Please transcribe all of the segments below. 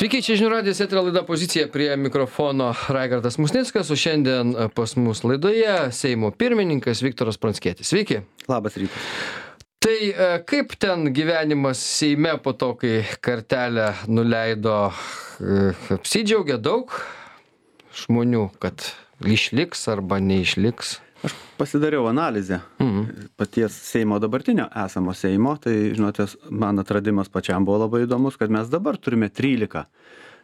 Sveiki, čia žinių radijas, eterio laida Pozicija, prie mikrofono Raigardas Musnickas, o šiandien pas mus laidoje Seimo pirmininkas Viktoras Pranckietis. Sveiki. Labas rytas. Tai kaip ten gyvenimas Seime po to, kai kartelę nuleido, apsidžiaugė daug žmonių, kad išliks arba neišliks? Aš pasidariau analizę paties Seimo dabartinio esamo Seimo, tai, žinote, man atradimas pačiam buvo labai įdomus, kad mes dabar turime 13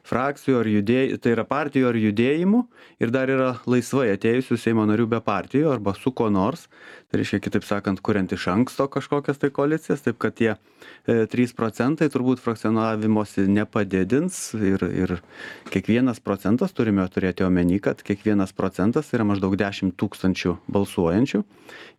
frakcijų ar judėjimų, tai yra partijų ar judėjimų ir dar yra laisvai atėjusių Seimo narių be partijų arba su ko nors. Tai reiškia, kitaip sakant, kuriant iš anksto kažkokias tai koalicijas, taip kad tie 3% turbūt frakcionavimosi nepadidins ir kiekvienas procentas, turime turėti omeny, kad kiekvienas procentas yra maždaug 10 000 balsuojančių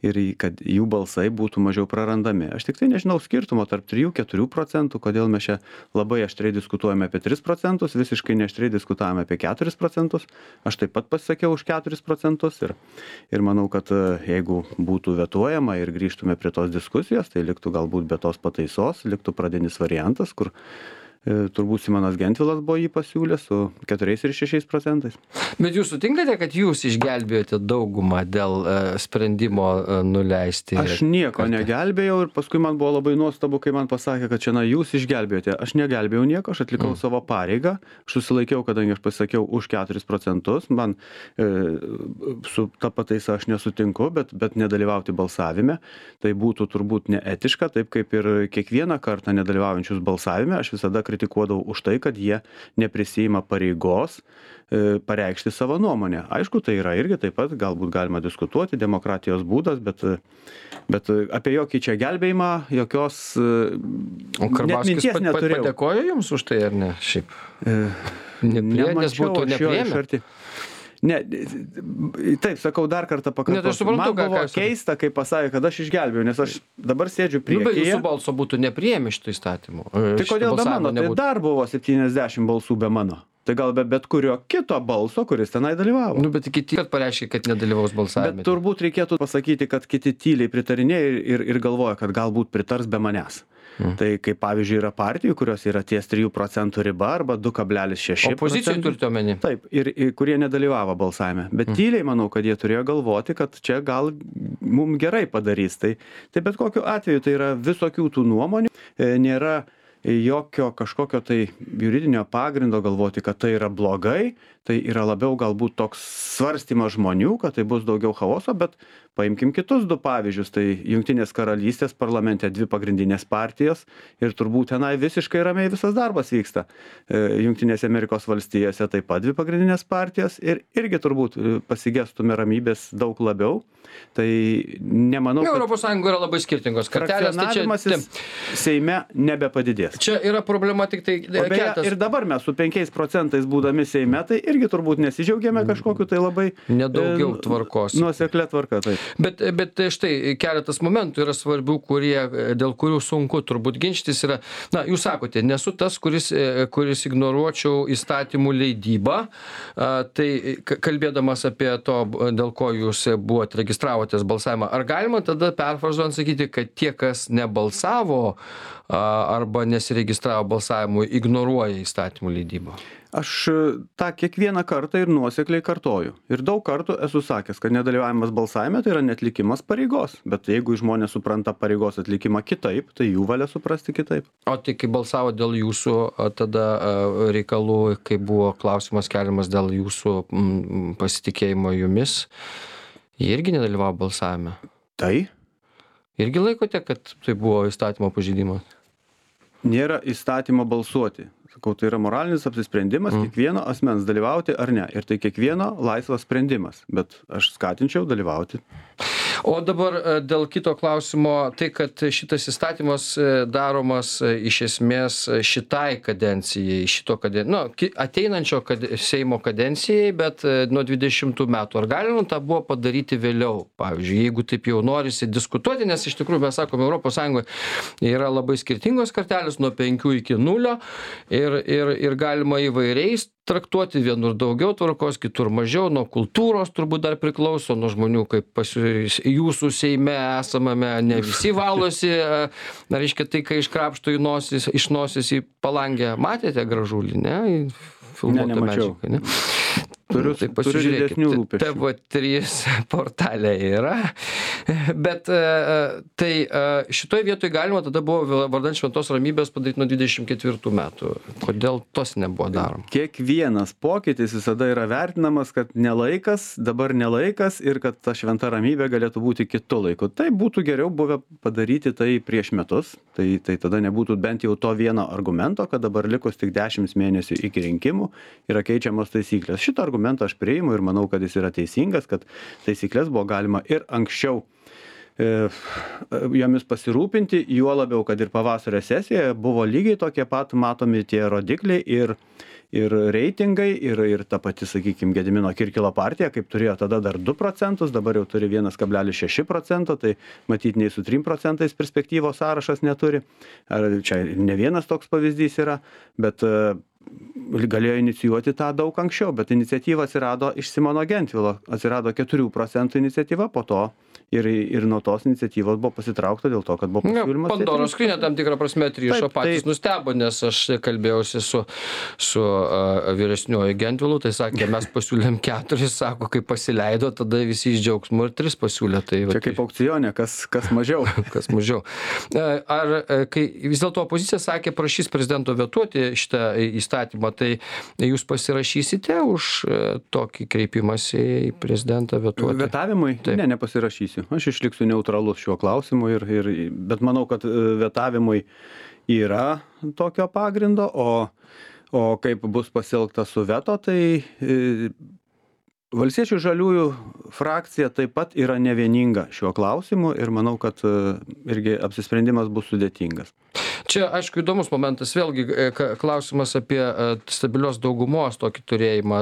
ir kad jų balsai būtų mažiau prarandami. Aš tik tai nežinau skirtumo tarp 3-4%, kodėl mes čia labai aštriai diskutuojame apie 3%, visiškai neaštriai diskutavome apie 4%. Aš taip pat pasakiau už 4% ir manau, kad jeigu būtų vetuojama ir grįžtume prie tos diskusijos, tai liktų galbūt be tos pataisos, liktų pradinis variantas, kur turbūt Simonas Gentvilas buvo jį pasiūlęs su 4 ir 6%. Bet jūs sutinkate, kad jūs išgelbėjote daugumą dėl sprendimo nuleisti? Aš nieko negelbėjau ir paskui man buvo labai nuostabu, kai man pasakė, kad čia jūs išgelbėjote. Aš negelbėjau nieko, aš atlikau savo pareigą, aš susilaikiau, kadangi aš pasakiau už 4%, man su ta pataisa aš nesutinku, bet nedalyvauti balsavime, tai būtų turbūt neetiška, taip kaip ir kiekvieną kartą nedalyvaujančius balsavime, aš visada kritikuodavau už tai, kad jie neprisiima pareigos pareikšti savo nuomonę. Aišku, tai yra irgi taip pat, galbūt galima diskutuoti, demokratijos būdas, bet apie jokį čia gelbėjimą, jokios net minties neturėjau. Padėkojo jums už tai, ar ne? Šiaip. Nemačiau aš jo iš arti. Ne, taip, sakau, dar kartą pakartosiu. Man buvo keista, kai pasakė, kad aš išgelbėjau, nes aš dabar sėdžiu priekyje. Bet jūsų balso būtų nepriėmę šito įstatymo. Tai kodėl be mano? Tai dar buvo 70 balsų be mano. Tai gal be bet kurio kito balso, kuris tenai dalyvavo. Bet kiti pareiškė, kad nedalyvaus balsavime. Bet turbūt reikėtų pasakyti, kad kiti tyliai pritarinėja ir galvoja, kad galbūt pritars be manęs. Tai kaip pavyzdžiui yra partijų, kurios yra ties 3% riba arba 2,6%. Opozicijų turite omeny? Taip, ir kurie nedalyvavo balsavime. Bet tyliai manau, kad jie turėjo galvoti, kad čia gal mums gerai padarys. Tai bet kokiu atveju tai yra visokių tų nuomonių, nėra jokio kažkokio tai juridinio pagrindo galvoti, kad tai yra blogai, tai yra labiau galbūt toks svarstymas žmonių, kad tai bus daugiau chaoso, bet paimkim kitus du pavyzdžius, tai Jungtinės karalystės parlamente 2 pagrindinės partijos ir turbūt tenai visiškai ramiai visas darbas vyksta. Jungtinėse Amerikos valstijose taip pat 2 pagrindinės partijos ir irgi turbūt pasigestume ramybės daug labiau. Tai nemanau, kad Europos Sąjungoje yra labai skirtingos kartelės, tai čia Seime nebepadidės. Čia yra problema tik tai ir dabar mes su 5% būdami Seime, tai irgi turbūt nesidžiaugiame kažkokiu tai labai nedaugiau tvarkos. Nuoseklia tvarka, taip. Bet štai keletas momentų yra svarbių, dėl kurių sunku turbūt ginčytis yra. Na, jūs sakote, nesu tas, kuris ignoruočiau įstatymų leidybą. Tai kalbėdamas apie to, dėl ko jūs buvote registravotės balsavimą, ar galima tada perfrazuojant sakyti, kad tie, kas nebalsavo arba nesiregistravo balsavimui, ignoruoja įstatymų leidybą? Aš tą kiekvieną kartą ir nuosekliai kartoju. Ir daug kartų esu sakęs, kad nedalyvavimas balsavime tai yra neatlikimas pareigos. Bet jeigu žmonės supranta pareigos atlikimą kitaip, tai jų valia suprasti kitaip. O tai kai balsavo dėl jūsų tada reikalų, kai buvo klausimas keliamas dėl jūsų pasitikėjimo jumis, jie irgi nedalyvavo balsavime? Tai? Irgi laikote, kad tai buvo įstatymo pažeidimas? Nėra įstatymo balsuoti. Sakau, tai yra moralinis apsisprendimas kiekvieno asmens dalyvauti ar ne. Ir tai kiekvieno laisvas sprendimas. Bet aš skatinčiau dalyvauti. O dabar dėl kito klausimo, tai kad šitas įstatymas daromas iš esmės šitai kadencijai, ateinančio Seimo kadencijai, bet nuo 20 metų. Ar galima tą buvo padaryti vėliau? Pavyzdžiui, jeigu taip jau norisi diskutuoti, nes iš tikrųjų mes sakome, Europos Sąjungoje yra labai skirtingos kartelės nuo 5 iki 0 ir galima įvairiais traktuoti, vienur daugiau tvarkos, kitur mažiau, nuo kultūros turbūt dar priklauso, nuo žmonių, kaip jūsų Seime esamame, ne visi valosi, reiškia tai, kai iškrapšto iš nosis į palangę, matėte Gražulį, ne? Filmuotą medžiagą, ne? Turiu didesnių rūpesčių. TV3 portalė yra, bet tai šitoj vietoj galima tada buvo vardan šventos ramybės padaryti nuo 24 metų. Kodėl tos nebuvo daroma? Kiekvienas pokytis visada yra vertinamas, kad nelaikas, dabar nelaikas ir kad ta šventa ramybė galėtų būti kitu laiku. Tai būtų geriau buvę padaryti tai prieš metus, tai tada nebūtų bent jau to vieno argumento, kad dabar likus tik 10 mėnesių iki rinkimų yra keičiamos taisyklės. Šitą argumentą aš priimu ir manau, kad jis yra teisingas, kad taisyklės buvo galima ir anksčiau jomis pasirūpinti, juo labiau, kad ir pavasario sesijoje buvo lygiai tokie pat matomi tie rodikliai ir reitingai, ir ta pati, sakykime, Gedimino Kirkilo partija, kaip turėjo tada dar 2%, dabar jau turi 1,6%, tai matyt, nei su 3% perspektyvos sąrašas neturi. Ar čia ne vienas toks pavyzdys yra, bet galėjo inicijuoti tą daug anksčiau, bet iniciatyva atsirado iš Simono Gentvilo, atsirado 4% iniciatyva, po to ir nuo tos iniciatyvos buvo pasitraukta dėl to, kad buvo pasiūlymas. Pandoros skrynia tam tikrą prasme atrišo, patys nustebo, nes aš kalbėjausi su vyresniuoju Gentvilu, tai sakė, mes pasiūlėm 4, sako, kai pasileido, tada visi iš džiaugsmo ir 3 pasiūlė. Tai, čia kaip aukcione, kas mažiau. Kas mažiau. Ar kai vis dėlto opozicija sakė, prašys prezidento vetuoti šitą įstatymą, tai jūs pasirašysite už tokį kreipimąsi į prezidentą vetuoti? Vetavimui? Ne, nepasirašysiu. Aš išliksiu neutralus šiuo klausimu, bet manau, kad vetavimui yra tokio pagrindo, o kaip bus pasielgta su veto, tai Valstiečių žaliųjų frakcija taip pat yra nevieninga šiuo klausimu ir manau, kad irgi apsisprendimas bus sudėtingas. Čia, aišku, įdomus momentas, vėlgi klausimas apie stabilios daugumos tokį turėjimą.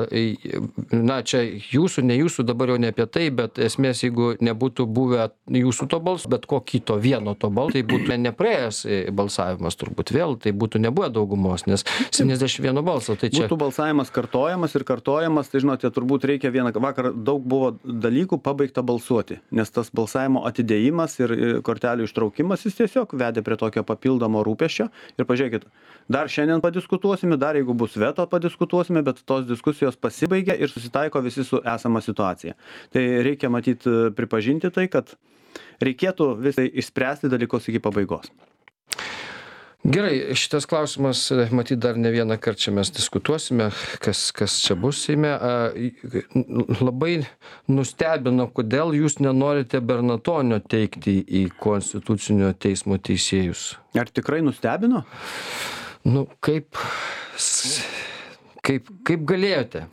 Na, čia jūsų, ne jūsų, dabar jau ne apie tai, bet esmės, jeigu nebūtų buvę jūsų to balso, bet ko kito vieno to balso, tai būtų nepraėjęs balsavimas turbūt vėl, tai būtų nebuvę daugumos, nes 71 balso. Tai čia būtų balsavimas kartojamas, tai žinote, turbūt reikia vakar daug buvo dalykų pabaigta balsuoti, nes tas balsavimo atidėjimas ir kortelių ištraukimas jis tiesiog vedė prie tokio papildomo rūpesčio. Ir pažiūrėkit, dar šiandien padiskutuosime, dar jeigu bus veto padiskutuosime, bet tos diskusijos pasibaigia ir susitaiko visi su esama situacija. Tai reikia matyti, pripažinti tai, kad reikėtų visai išspręsti dalykus iki pabaigos. Gerai, šitas klausimas, matyt, dar ne vieną kartą čia mes diskutuosime, kas čia bus Seime. Labai nustebino, kodėl jūs nenorite Bernatonio teikti į Konstitucinio teismo teisėjus. Ar tikrai nustebino? Nu, kaip galėjote?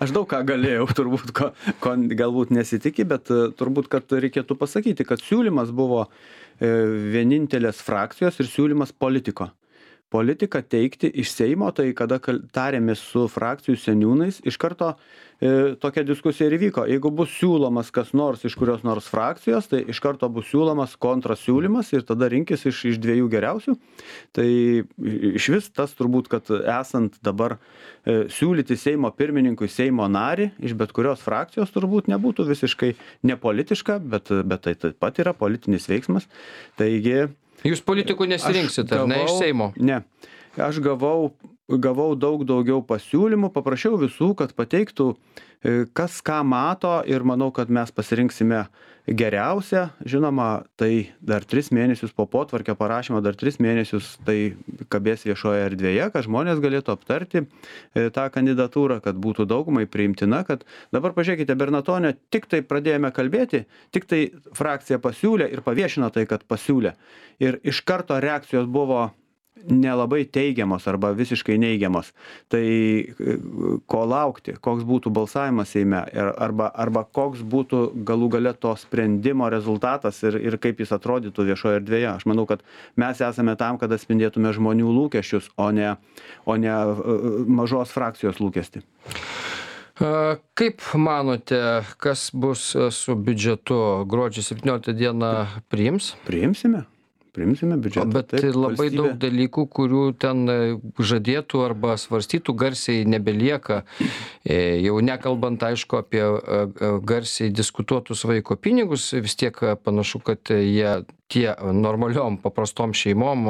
Aš daug ką galėjau, turbūt, ko galbūt nesitikė, bet turbūt, kad reikėtų pasakyti, kad siūlymas buvo vienintelės frakcijos ir siūlymas politiko. Politiką teikti iš Seimo, tai kada tarėmės su frakcijų seniūnais, iš karto tokia diskusija ir įvyko. Jeigu bus siūlomas kas nors iš kurios nors frakcijos, tai iš karto bus siūlomas kontrasiūlymas ir tada rinkis iš 2 geriausių. Tai iš vis tas turbūt, kad esant dabar siūlyti Seimo pirmininkui Seimo narį iš bet kurios frakcijos turbūt nebūtų visiškai nepolitiška, bet tai taip pat yra politinis veiksmas. Taigi jūs politikų nesirinksit, ar ne, iš Seimo? Ne. Aš gavau daug daugiau pasiūlymų, paprašiau visų, kad pateiktų, kas ką mato ir manau, kad mes pasirinksime geriausią. Žinoma, tai dar 3 mėnesius po potvarkio parašymo, dar 3 mėnesius tai kabės viešoje erdvėje, kad žmonės galėtų aptarti tą kandidatūrą, kad būtų daugumai priimtina, kad dabar pažiūrėkite, Bernatonio tik tai pradėjome kalbėti, tik tai frakcija pasiūlė ir paviešino tai, kad pasiūlė. Ir iš karto reakcijos buvo nelabai teigiamos arba visiškai neigiamos. Tai ko laukti, koks būtų balsavimas Seime arba koks būtų galų gale to sprendimo rezultatas ir kaip jis atrodytų viešoje erdvėje. Aš manau, kad mes esame tam, kad atspindėtume žmonių lūkesčius, o ne mažos frakcijos lūkestį. Kaip manote, kas bus su biudžetu? Gruodžio 17 dieną priims? priimsime biudžetą. Bet labai daug dalykų, kurių ten žadėtų arba svarstytų garsiai nebelieka. Jau nekalbant, aišku, apie garsiai diskutuotus vaiko pinigus, vis tiek panašu, kad jie tie normaliom, paprastom šeimom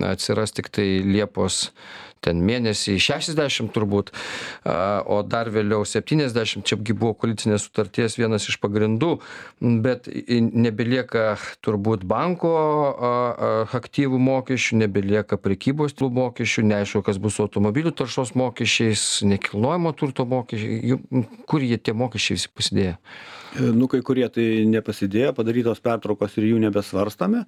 atsiras tik tai Liepos ten mėnesį 60 turbūt, o dar vėliau 70, čiagi buvo koalicinės sutarties vienas iš pagrindų, bet nebelieka turbūt banko aktyvų mokesčių, nebelieka prekybos mokesčių, neaišku, kas bus su automobilių taršos mokesčiais, nekilnojamo turto mokesčiai, kur jie tie mokesčiai visi pasidėjo? Nu, kai kurie tai nepasidėjo, padarytos pertraukos ir jų nebesvarstame.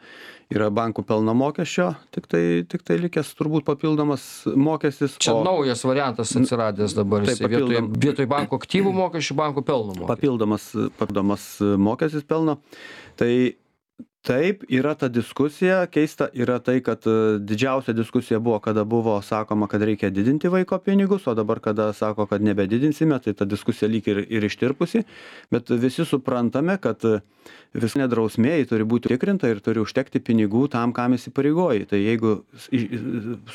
Yra bankų pelno mokesčio, tik tai likęs turbūt papildomas mokestis. Čia naujas variantas atsiradęs dabar, vietoj banko aktyvų mokesčių, banko pelno mokesčių. Papildomas mokestis pelno. Tai taip, yra ta diskusija, keista yra tai, kad didžiausia diskusija buvo, kada buvo sakoma, kad reikia didinti vaiko pinigus, o dabar, kada sako, kad nebedidinsime, tai ta diskusija lyg ir ištirpusi, bet visi suprantame, kad vis nedrausmėjai turi būti tikrinta ir turi užtekti pinigų tam, kam įsipareigoji. Tai jeigu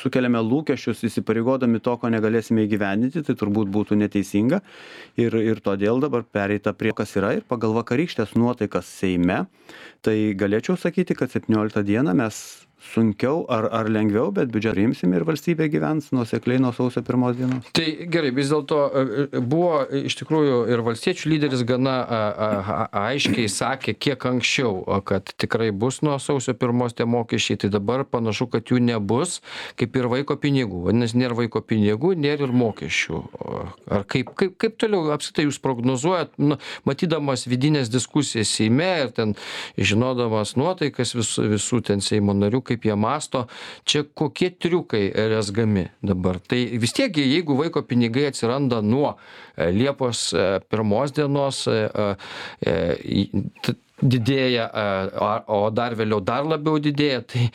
sukeliame lūkesčius įsipareigodami to, ko negalėsime įgyvendinti, tai turbūt būtų neteisinga ir todėl dabar pereita prie kas yra ir pagal vakarykštės nuotaikas Seime, tai galėčiau sakyti, kad 17 dieną mes sunkiau ar lengviau, bet biudžetą priimsime ir valstybė gyvens nuosekliai nuo sausio 1 dienos. Tai gerai, vis dėlto buvo iš tikrųjų ir valstiečių lyderis gana aiškiai sakė, kiek anksčiau, kad tikrai bus nuo sausio 1 tie mokesčiai, tai dabar panašu, kad jų nebus, kaip ir vaiko pinigų. Vadinasi, nėra vaiko pinigų, nėra ir mokesčių. Ar kaip toliau apskritai jūs prognozuojat, matydamas vidinės diskusijas Seime ir ten žinodamas nuotaikas visų ten Seimo narių, kaip jie masto, čia kokie triukai rezgami dabar. Tai vis tiek, jeigu vaiko pinigai atsiranda nuo Liepos 1 dienos, didėja, o dar vėliau dar labiau didėja, tai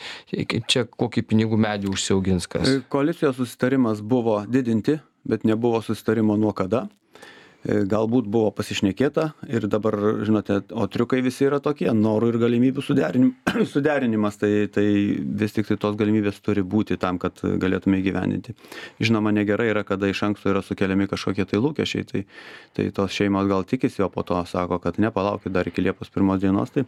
čia kokį pinigų medį užsiaugins kas? Koalicijos susitarimas buvo didinti, bet nebuvo susitarimo nuo kada. Galbūt buvo pasišnekėta ir dabar, žinote, o triukai visi yra tokie, norų ir galimybių suderinimas, tai vis tik tai tos galimybės turi būti tam, kad galėtume įgyvendinti. Žinoma, negerai yra, kada iš anksto yra sukeliami kažkokie tai lūkesčiai, tai tos šeimos gal tikisi, o po to sako, kad nepalaukit dar iki Liepos 1 dienos. Tai,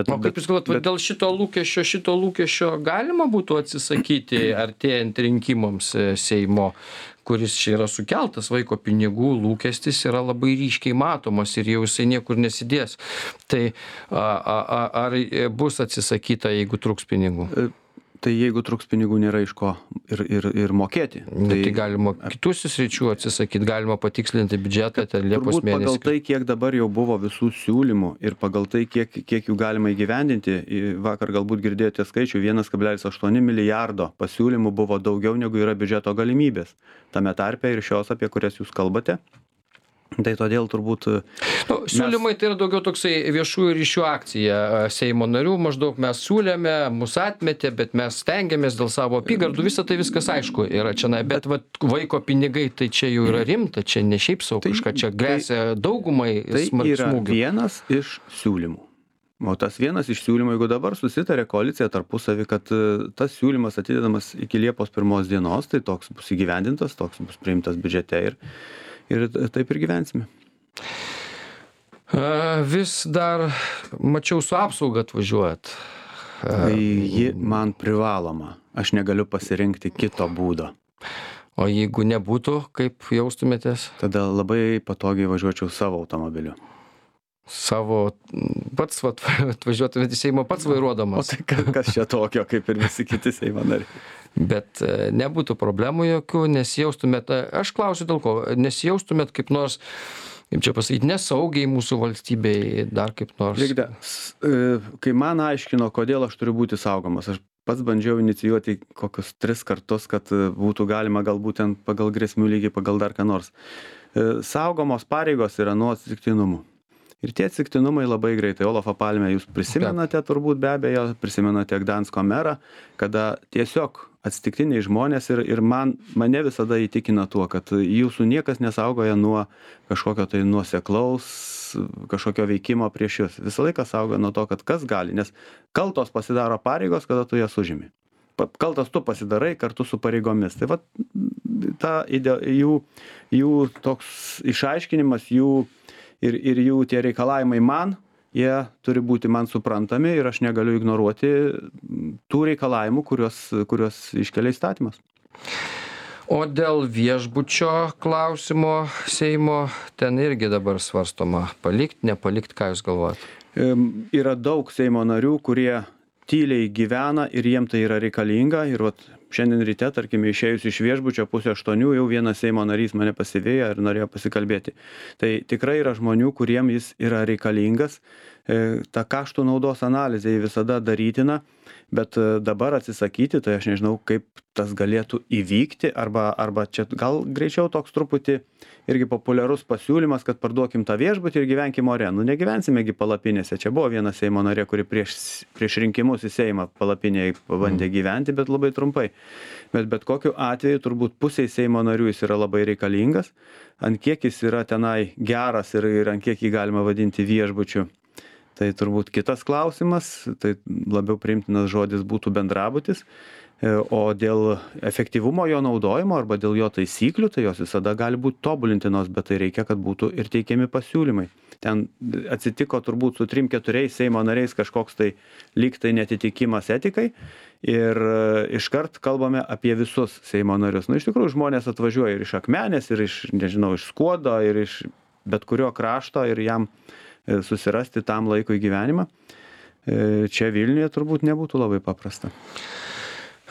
o kaip jūs galvojat, dėl šito lūkesčio galima būtų atsisakyti artėjant rinkimams Seimo, kuris čia yra sukeltas, vaiko pinigų lūkestis yra labai ryškiai matomas ir jau jisai niekur nesidės. Tai ar bus atsisakyta, jeigu truks pinigų? Tai jeigu truks pinigų, nėra iš ko ir mokėti. Tai galima kitų sričių atsisakyti, galima patikslinti biudžetą ten Liepos mėnesį. Pagal tai, kiek dabar jau buvo visų siūlymų ir pagal tai, kiek jų galima įgyvendinti, vakar galbūt girdėjote skaičių, 1,8 milijardo pasiūlymų buvo daugiau negu yra biudžeto galimybės. Tame tarpe ir šios, apie kurias jūs kalbate. Tai todėl turbūt... Siūlymai tai yra daugiau toksai viešųjų ryšių akcija Seimo narių, maždaug mes siūlėme, mus atmetė, bet mes stengiamės dėl savo apygardų, viskas aišku yra čia, bet vaiko pinigai tai čia jau yra rimta, čia ne šiaip savo kažką, čia grėsia daugumai smarkių smūgių. Tai yra vienas iš siūlymų. O tas vienas iš siūlymų, jeigu dabar susitarė koalicija tarpusavį, kad tas siūlymas atidedamas iki Liepos 1 dienos, tai toks bus įgyvendintas, toks bus priimtas biudžete ir taip ir gyvensime. Vis dar, mačiau, su apsauga atvažiuojat. Tai ji man privaloma. Aš negaliu pasirinkti kito būdo. O jeigu nebūtų, kaip jaustumėtės? Tada labai patogiai važiuočiau savo automobiliu. Pats atvažiuotumėte į Seimą pats vairuodamas. O tai kas čia tokio, kaip ir visi kiti Seimo nariai. Bet nebūtų problemų jokių, nesijaustumėt, aš klausiu dėl ko, nesijaustumėt kaip nors, kaip čia pasakyti, nesaugiai mūsų valstybei, dar kaip nors. Žiūrėkite, kai man aiškino, kodėl aš turiu būti saugomas, aš pats bandžiau inicijuoti kokius 3 kartus, kad būtų galima galbūt ten pagal grėsmių lygį, pagal dar ką nors. Saugomos pareigos yra nuo atsitiktinumų. Ir tie atsitiktinumai labai greitai. Olafą Palmę jūs prisimenate turbūt be abejo, prisimenate Gdansko merą, kada tiesiog atsitiktiniai žmonės ir mane visada įtikina tuo, kad jūsų niekas nesaugoja nuo kažkokio tai nuoseklaus, kažkokio veikimo prieš jūs. Visą laiką saugoja nuo to, kad kas gali, nes kaltos pasidaro pareigos, kada tu jas užimi. Kaltas tu pasidarai kartu su pareigomis. Tai vat jų toks išaiškinimas, ir jų tie reikalavimai man, jie turi būti man suprantami ir aš negaliu ignoruoti tų reikalavimų, kuriuos iškelia įstatymas. O dėl viešbučio klausimo Seimo, ten irgi dabar svarstoma palikt, nepalikt, ką jūs galvojat? Yra daug Seimo narių, kurie tyliai gyvena ir jiem tai yra reikalinga. Ir vat šiandien ryte, tarkime, išėjus iš viešbučio 7:30, jau vienas Seimo narys mane pasivėjo ir norėjo pasikalbėti. Tai tikrai yra žmonių, kuriem jis yra reikalingas. Ta kaštų naudos analizė visada darytina, bet dabar atsisakyti, tai aš nežinau, kaip tas galėtų įvykti, arba čia gal greičiau toks truputį irgi populiarus pasiūlymas, kad parduokim tą viešbutį ir gyvenkim ore. Nu, negyvensimegi palapinėse. Čia buvo viena Seimo narė, kuri prieš rinkimus į Seimą palapinėje pabandė gyventi, bet labai trumpai. Bet kokiu atveju turbūt pusiai Seimo narių jis yra labai reikalingas. Ant kiek jis yra tenai geras ir ant kiek jį galima vadinti viešbučiu, tai turbūt kitas klausimas. Tai labiau priimtinas žodis būtų bendrabutis. O dėl efektyvumo jo naudojimo arba dėl jo taisyklių, tai jos visada gali būti tobulintinos, bet tai reikia, kad būtų ir teikiami pasiūlymai. Ten atsitiko turbūt su 3-4 Seimo nariais kažkoks tai lyg tai netitikimas etikai ir iškart kalbame apie visus Seimo narius. Nu, iš tikrųjų, žmonės atvažiuoja ir iš Akmenės, ir iš Skuodo, ir iš bet kurio krašto ir jam susirasti tam laikui gyvenimą. Čia Vilniuje turbūt nebūtų labai paprasta.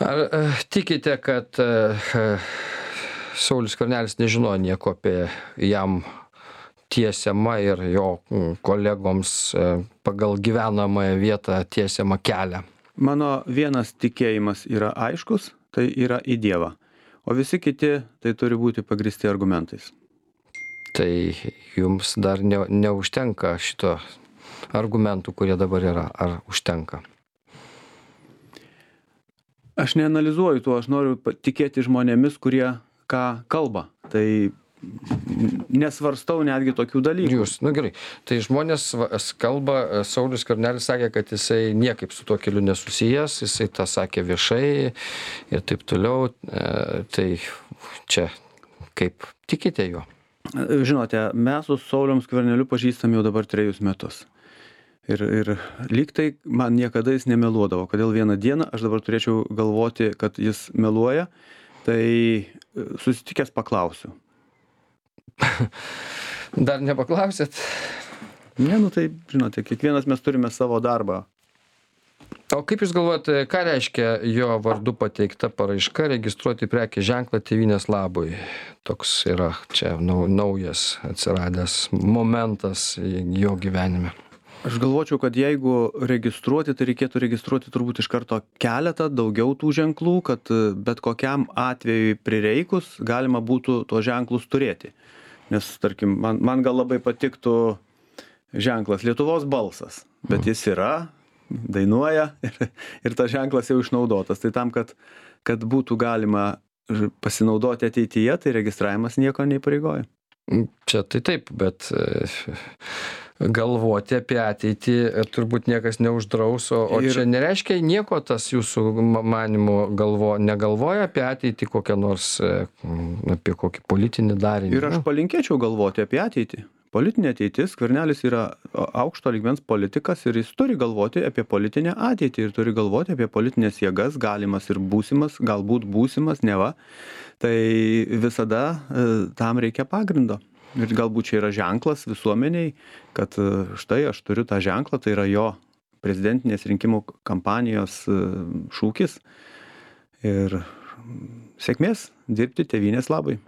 Ar tikite, kad Saulius Skvernelis nežinojo nieko apie jam tiesiamą ir jo kolegoms pagal gyvenamąją vietą tiesiamą kelią? Mano vienas tikėjimas yra aiškus, tai yra į Dievą. O visi kiti tai turi būti pagristi argumentais. Tai jums dar neužtenka šito argumentų, kurie dabar yra, ar užtenka? Aš neanalizuoju tuo, aš noriu tikėti žmonėmis, kurie ką kalba. Tai nesvarstau netgi tokių dalykų. Jūs, gerai. Tai žmonės kalba, Saulius Skvernelis sakė, kad jisai niekaip su tuo keliu nesusijęs, jisai tą sakė viešai ir taip toliau. Tai čia kaip tikite juo? Žinote, mes su Saulium Skverneliu pažįstam jau dabar 3 metus. Ir lyg tai man niekada jis nemeluodavo. Kodėl vieną dieną aš dabar turėčiau galvoti, kad jis meluoja, tai susitikęs paklausiu. Dar nepaklausėt? Ne, tai žinote, kiekvienas mes turime savo darbą. O kaip jūs galvojate, ką reiškia jo vardu pateikta paraiška registruoti prekės ženklą Tėvynės labui? Toks yra čia naujas atsiradęs momentas jo gyvenime. Aš galvočiau, kad jeigu registruoti, tai reikėtų registruoti turbūt iš karto keletą daugiau tų ženklų, kad bet kokiam atvejui prireikus galima būtų tuos ženklus turėti. Nes, tarkim, man gal labai patiktų ženklas Lietuvos balsas, bet jis yra, dainuoja ir tas ženklas jau išnaudotas. Tai tam, kad būtų galima pasinaudoti ateityje, tai registravimas nieko neįpareigoja. Čia tai taip, bet galvoti apie ateitį turbūt niekas neuždraus, o čia nereiškia nieko tas jūsų manymu negalvoja apie ateitį kokią nors, apie kokį politinį darinį. Ir aš palinkėčiau galvoti apie ateitį. Politinė ateitis, Skvernelis yra aukšto lygmens politikas ir jis turi galvoti apie politinę ateitį ir turi galvoti apie politinės jėgas, galimas ir būsimas, galbūt būsimas, neva. Tai visada tam reikia pagrindo. Ir galbūt čia yra ženklas visuomeniai, kad štai aš turiu tą ženklą, tai yra jo prezidentinės rinkimų kampanijos šūkis. Ir sėkmės dirbti Tėvynės labui.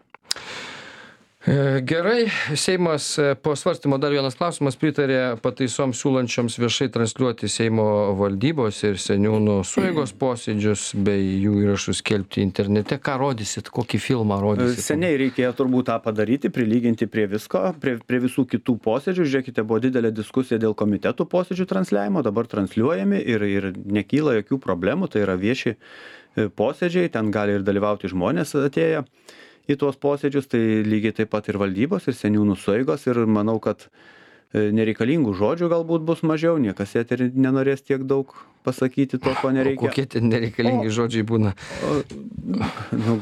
Gerai, Seimas po svarstymo dar vienas klausimas pritarė pataisoms siūlančioms viešai transliuoti Seimo valdybos ir seniūnų sueigos posėdžius bei jų įrašus skelbti internete. Ką rodysit, kokį filmą rodysit? Seniai reikėjo turbūt tą padaryti, prilyginti prie visko, prie visų kitų posėdžių. Žiūrėkite, buvo didelė diskusija dėl komitetų posėdžių transliavimo, dabar transliuojami ir nekyla jokių problemų, tai yra vieši posėdžiai, ten gali ir dalyvauti žmonės atėję į tuos posėdžius, tai lygiai taip pat ir valdybos, ir seniūnų sueigos, ir manau, kad nereikalingų žodžių galbūt bus mažiau, niekas eterį nenorės tiek daug pasakyti to, ko nereikia. O kokie ten nereikalingi žodžiai būna?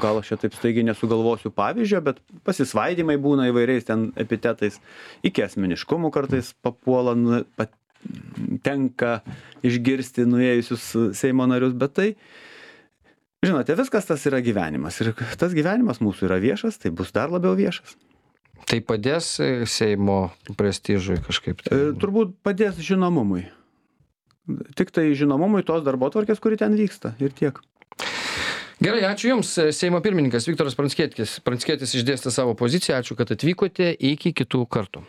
Gal aš čia taip staigiai nesugalvosiu pavyzdžio, bet pasisvaidimai būna įvairiais ten epitetais, iki asmeniškumų kartais papuola, tenka išgirsti nuėjusius Seimo narius, bet tai žinote, viskas tas yra gyvenimas ir tas gyvenimas mūsų yra viešas, tai bus dar labiau viešas. Tai padės Seimo prestižui kažkaip? Turbūt padės žinomumui. Tik tai žinomumui tos darbotvarkės, kuri ten vyksta ir tiek. Gerai, ačiū Jums. Seimo pirmininkas Viktoras Pranckietis išdėstė savo poziciją. Ačiū, kad atvykote. Iki kitų kartų.